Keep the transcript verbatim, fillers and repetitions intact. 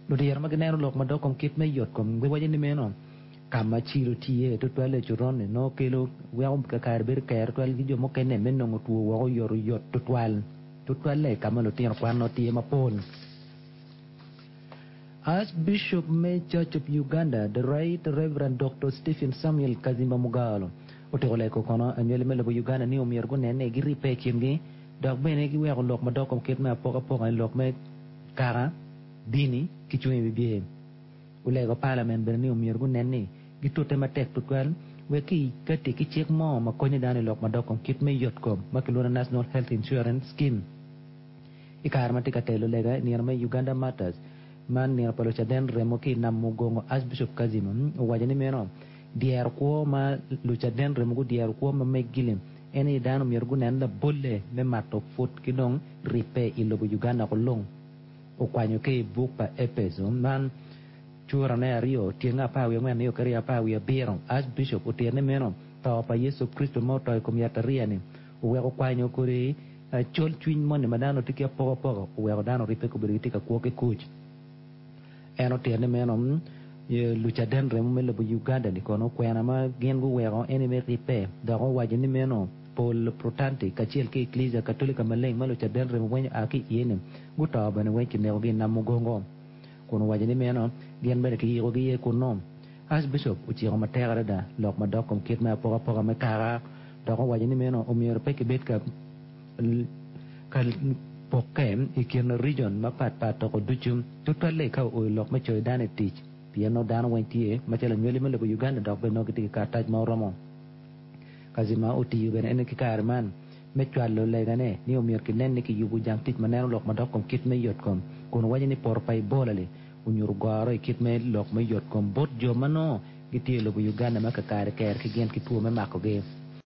Ludiro ma gineno lok madok kom kit me yotkom giwaco ni meno ka ma cilo tye tutwal i coron-ni nongo kelo weko kakare bedo ker tutwal ki jo mukene me nongo two woko oyotoyot tutwal tutwalle ka ma lutino kwan nongo tye mapol. Archbishop me Church of Uganda, the Right Reverend Doctor Stephen Samuel Kazimba Mugalu otyeko lego kono anywali me lobo Uganda ni omyero gunen ni giribbe i kingi dok bene giweko lok madok kom kit me apokapoka i lok me kaka, dini ki cung i wibye. Olego Parliament bene ni omyero gunen ni gitute matek tutwal wek ki kati ki cik mo ma konyo dano i lok madok kom kit me yotkom ma kilwongo ni National Health Insurance Scheme. I kare ma tye ka telo lega i nino me Uganda Martyrs, man nino pa Lucaden remo ki i nam mugongo, Archbishop Kazima owaco ni meno dyero kwo ma Lucaden remo gudyero kwo ma meggi-ni en aye dano myero gunen labolle me mato put ki dong ribbe i lobo Uganda kulung. Okwanyo ki i buk pa Epeco man curane aryo tyenge apar wiye angwen nio ki aryo apar wiye abiro. Archbishop otito ni meno to pa Yecu Kricito ma oto i kom yatariya-ni oweko kwanyo kodi col cwiny moni ma dano tye ki apokapoka oweko dano oribbe gubedo gitye ka kwo ki kuc. En otito ni meno Lucaden remo me lobo Uganda-ni kono kwena ma gin guweko en aye me ribbe dok owaco ni meno pol Protanti kacel ki Eklesia Katolika Maleng ma Lucaden remo weng oa ki iye-ni guto bene weng kinekogi i nam mugongo kun owaco ni meno gin bene kiyikogi iye kunnu. Archbishop ociko matek adada lok madok kom kit me apokapoka me kaka dok owaco ni meno omyero pe kibed ka ka pokke i kin region mapatpat toko ducu tutwalle ka ooyo lok me coyo dano i tic pien nongo dano weng tye macalo anywali me lobo Uganda dok bene nongo gitye ki karatac ma oromo. Kazima otiyo bene en ki kare man me cwalo legane ni omyero kinen ni kiyubo jang tic ma neno lok madok kom kit me yotkom kun owaco ni poto pa Ebola-li onyuto goro i kit me lok me yotkom bot jo ma nongo gitye i lobo Uganda ma kakare ker ki gin ki two me makogi.